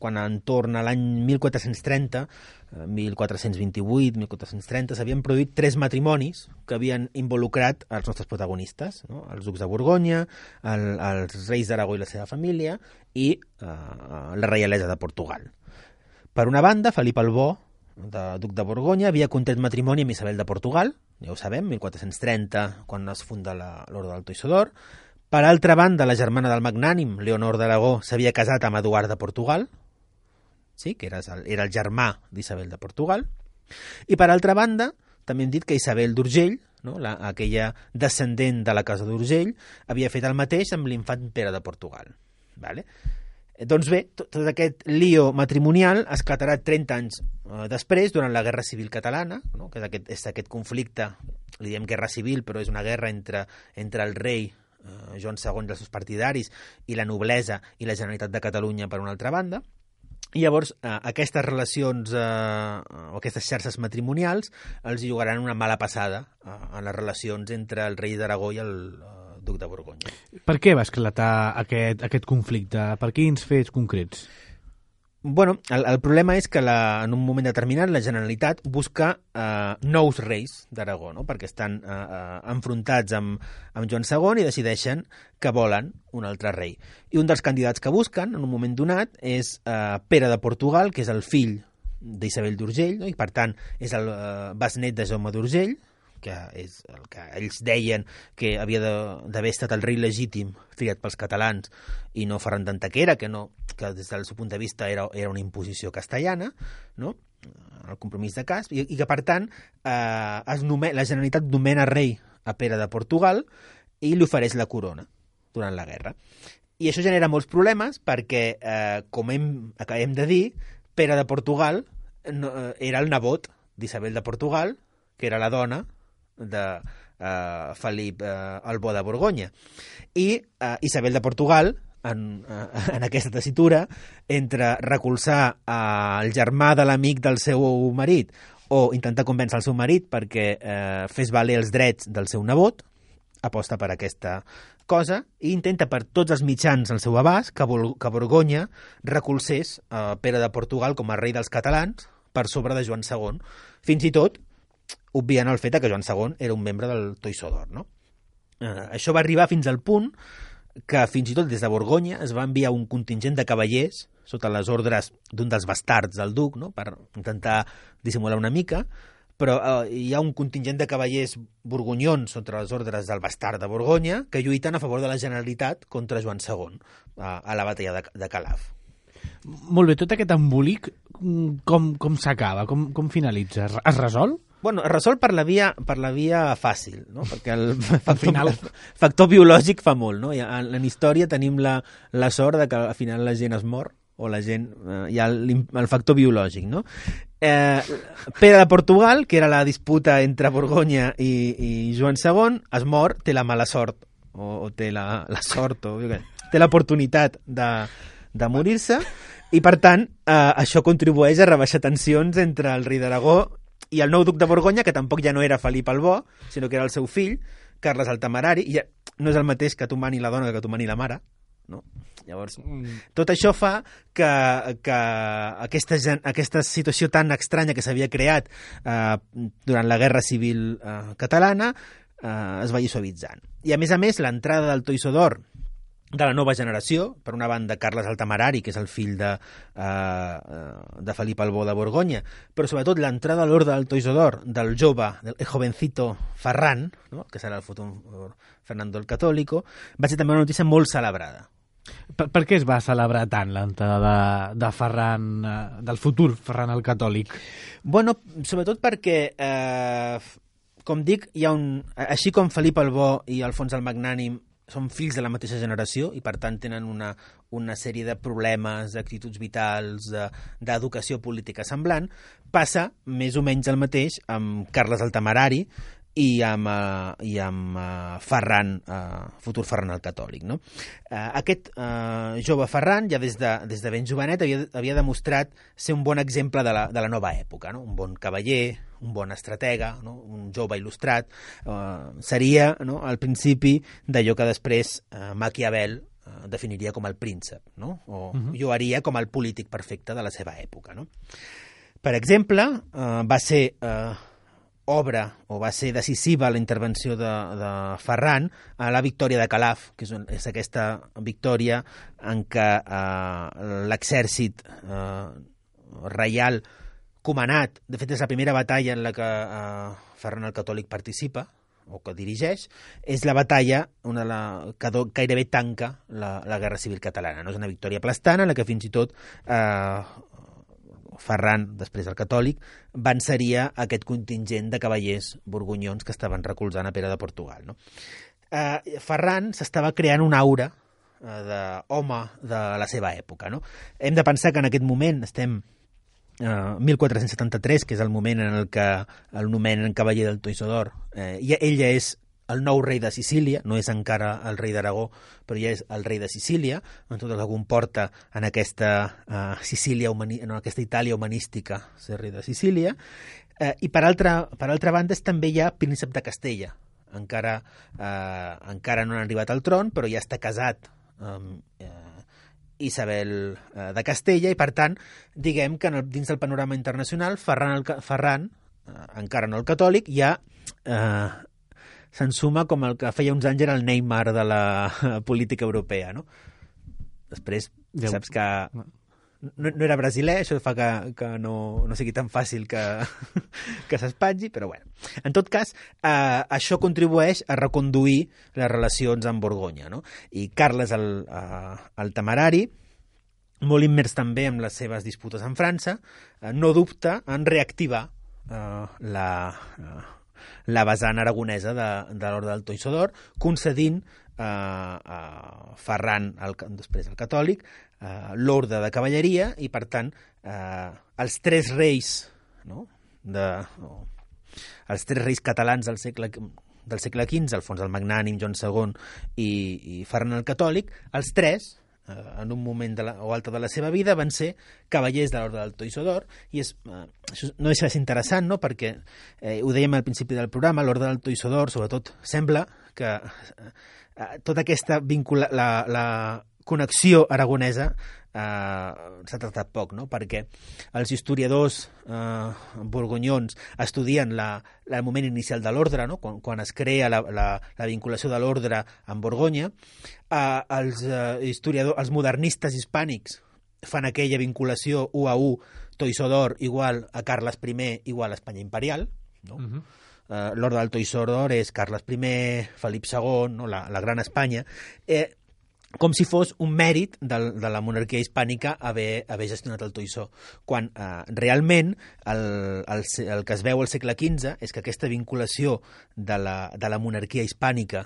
quan entorn a l'any 1430, 1428, 1430, s'havien produït 3 matrimonis que havien involucrat els nostres protagonistes, no? Els ducs de Borgonya, els reis d'Aragó i la seva família i la reialesa de Portugal. Per una banda, Felip el Bo, duc de Borgonya, havia contret matrimoni amb Isabel de Portugal, ja ho sabem, 1430, quan es funda l'Orde del Toisó d'Or. Per altra banda, la germana del Magnànim, Leonor d'Aragó, s'havia casat amb Eduard de Portugal, sí, que era el germà d'Isabel de Portugal. I per altra banda, també hem dit que Isabel d'Urgell, no? Aquella descendent de la casa d'Urgell, havia fet el mateix amb l'infant Pere de Portugal. Vale? Doncs bé, tot aquest lío matrimonial esclatarà 30 anys després, durant la Guerra Civil Catalana, no? Que és aquest conflicte, li diem guerra civil, però és una guerra entre el rei Joan II i els seus partidaris, i la noblesa i la Generalitat de Catalunya per una altra banda. I llavors aquestes relacions o aquestes xarxes matrimonials els jugaran una mala passada en les relacions entre el rei d'Aragó i el duc de Borgonya. Per què va esclatar aquest conflicte? Per quins fets concrets? Bueno, el problema és que en un moment determinat la Generalitat busca nous reis d'Aragó, no? Perquè estan enfrontats amb Joan II i decideixen que volen un altre rei. I un dels candidats que busquen en un moment donat és Pere de Portugal, que és el fill d'Isabel d'Urgell, no? I per tant és el besnet de Jaume d'Urgell, que és el que ells deien que havia d'haver estat el rei legítim triat pels catalans i no Ferran d'Antequera, que des del seu punt de vista era una imposició castellana, no? El compromís de Casp, i que per tant la Generalitat nomena rei a Pere de Portugal i li ofereix la corona durant la guerra. I això genera molts problemes perquè, com acabem de dir, Pere de Portugal era el nebot d'Isabel de Portugal, que era la dona de Felip el Bo de Borgonya. I Isabel de Portugal, en aquesta tessitura, entre recolzar el germà de l'amic del seu marit o intentar convèncer el seu marit perquè fes valer els drets del seu nebot, aposta per aquesta cosa i intenta per tots els mitjans al seu abast que Borgonya recolzés Pere de Portugal com a rei dels catalans per sobre de Joan II. Fins i tot obviant el fet que Joan II era un membre del Toisó d'Or, no? Això va arribar fins al punt que fins i tot des de Borgonya es va enviar un contingent de cavallers sota les ordres d'un dels bastards del duc, no? Per intentar dissimular una mica, però hi ha un contingent de cavallers borgonyons sota les ordres del bastard de Borgonya que lluiten a favor de la Generalitat contra Joan II a la batalla de Calaf. Molt bé, tot aquest embolic com s'acaba? Com finalitza? Es resol? Bueno, es resol per la via fàcil, no? Perquè el factor biològic fa molt, no? En història tenim la sort de que al final la gent es mor, o la gent... hi ha el factor biològic, no? Pere de Portugal, que era la disputa entre Borgonya i Joan II, es mor, té la mala sort, o té la sort, té l'oportunitat de morir-se, i per tant això contribueix a rebaixar tensions entre el rei d'Aragó i el nou duc de Borgonya, que tampoc ja no era Felip el Bo, sinó que era el seu fill, Carles el Temerari, i ja no és el mateix que tu mani la dona que tu mani la mare, no? Llavors, tot això fa que aquesta situació tan estranya que s'havia creat durant la Guerra Civil catalana es vagi suavitzant. I a més, l'entrada del Toisó d'Or de la nova generació, per una banda Carles el Temerari, que és el fill de Felip el Bo de Borgonya, però sobretot l'entrada a l'ordre del Toisó d'Or del jove, del jovencito Ferran, no? Que serà el futur Fernando el Católico, va ser també una notícia molt celebrada. Per què es va celebrar tant l'entrada de Ferran, del futur Ferran el Catòlic? Bueno, sobretot perquè, com dic, hi ha així com Felip el Bo i Alfons el Magnànim són fills de la mateixa generació i per tant tenen una sèrie de problemes, d'actituds vitals, d'educació política semblant, passa més o menys el mateix amb Carles el Temerari i amb Ferran, futur Ferran el Catòlic, no? Aquest jove Ferran, ja des de ben jovenet, havia demostrat ser un bon exemple de la nova època, no? Un bon cavaller, un bon estratega, no? Un jove il·lustrat, seria, no, al principi d'allò que després Maquiavel definiria com el príncep, no? O lloaria com el polític perfecte de la seva època, no? Per exemple, va ser decisiva la intervenció de Ferran a la victòria de Calaf, que és aquesta victòria en què l'exèrcit reial comanat, de fet és la primera batalla en la que Ferran el Catòlic participa, o que dirigeix, és la batalla que gairebé tanca la Guerra Civil Catalana. No és una victòria aplastant, en la que fins i tot Ferran, després el Catòlic, venceria aquest contingent de cavallers borgonyons que estaven recolzant a Pere de Portugal, no? Ferran s'estava creant una aura d'home de la seva època, no? Hem de pensar que en aquest moment estem 1473, que és el moment en el que el nomenen cavaller del Toisó d'Or, i ell ja és el nou rei de Sicília, no és encara el rei d'Aragó, però ja és el rei de Sicília, en tot el que comporta en aquesta en aquesta Itàlia humanística ser rei de Sicília, i per altra banda també hi ha príncep de Castella. Encara no han arribat al tron, però ja està casat amb Isabel de Castella, i per tant, diguem que dins del panorama internacional, Ferran, encara no el catòlic, ja s'ensuma com el que feia uns anys era el Neymar de la política europea, no? Després, saps que no era brasiler, això fa que no sigui tan fàcil que s'espatlli, però bueno. En tot cas, això contribueix a reconduir les relacions amb Borgonya, no? I Carles el Temerari, molt immers també amb les seves disputes amb França, no dubta en reactivar la vessant aragonesa de l'Orde del Toisó d'Or, concedint a Ferran, després el catòlic, l'Orde de Cavalleria, i per tant els tres reis, no? Els tres reis catalans del segle XV, Alfons el Magnànim, Joan II i Ferran el Catòlic, els tres, en un moment o altre de la seva vida, van ser cavallers de l'Orde del Toisó d'Or, i això no deixa de ser interessant, no? Perquè ho dèiem al principi del programa, l'Orde del Toisó d'Or, sobretot, sembla que tota aquesta la connexió aragonesa s'ha tractat poc, no? Perquè els historiadors borgonyons estudien el moment inicial de l'ordre, no? Quan es crea la vinculació de l'ordre amb Borgonya. Els modernistes hispànics fan aquella vinculació 1:1, Toisó d'Or igual a Carles I igual a Espanya imperial, no? L'Orde del Toisó d'Or és Carles I, Felip II, no? La Gran Espanya, com si fos un mèrit de la monarquia hispànica haver gestionat el Toisó, quan realment el que es veu al segle XV és que aquesta vinculació de la monarquia hispànica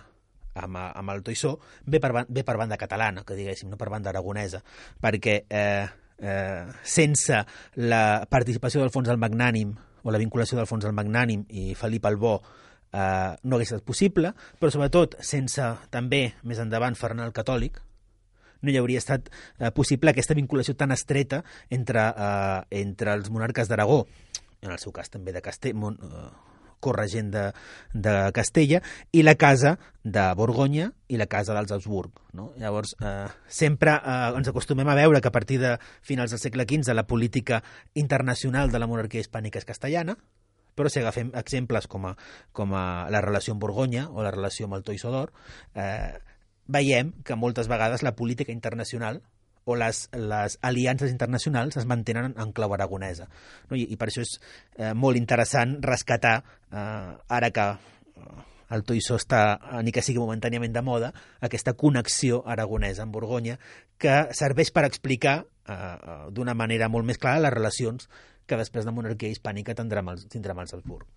amb el Toisó ve per banda catalana, que diguéssim, no per banda aragonesa, perquè sense la participació d'Alfons el Magnànim o la vinculació d'Alfons el Magnànim i Felip el Bo no hagués estat possible, però sobretot sense també, més endavant, Ferran el Catòlic, no hi hauria estat possible aquesta vinculació tan estreta entre els monarques d'Aragó, en el seu cas també de corregent de Castella, i la casa de Borgonya i la casa dels Habsburg, no? Llavors, sempre ens acostumem a veure que a partir de finals del segle XV la política internacional de la monarquia hispànica és castellana, però si agafem exemples com a la relació amb Borgonya o la relació amb el Toisó d'Or, veiem que moltes vegades la política internacional o les aliances internacionals es mantenen en clau aragonesa, no? I per això és molt interessant rescatar, ara que el Toisó està, ni que sigui momentàniament de moda, aquesta connexió aragonesa amb Borgonya, que serveix per explicar d'una manera molt més clara les relacions que després de monarquia hispànica tindrà amb els Habsburg.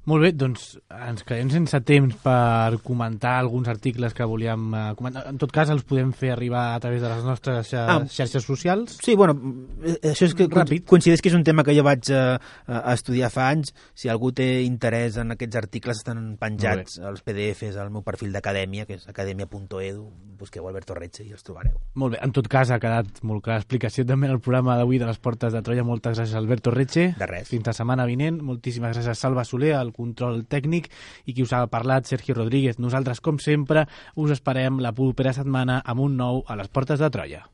Molt bé, doncs ens quedem sense temps per comentar alguns articles que volíem comentar. En tot cas, els podem fer arribar a través de les nostres xarxes socials. Sí, bueno, això és que coincideix que és un tema que jo vaig estudiar fa anys. Si algú té interès en aquests articles, estan penjats als PDFs al meu perfil d'acadèmia, que és academia.edu. Busqueu Alberto Retxe i els trobareu. Molt bé, en tot cas ha quedat molt clara l'explicació també en el programa d'avui de les Portes de Troia. Moltes gràcies, Alberto Retxe. De res. Fins la setmana vinent. Moltíssimes gràcies, Salva Soler, al control tècnic, i qui us ha parlat, Sergio Rodríguez. Nosaltres, com sempre, us esperem la propera setmana amb un nou a les Portes de Troia.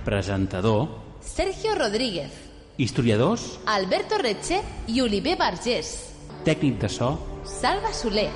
Presentador Sergio Rodríguez. Historiadors Alberto Retxe i Oliver Vergés. Tècnic de so Salva Soler.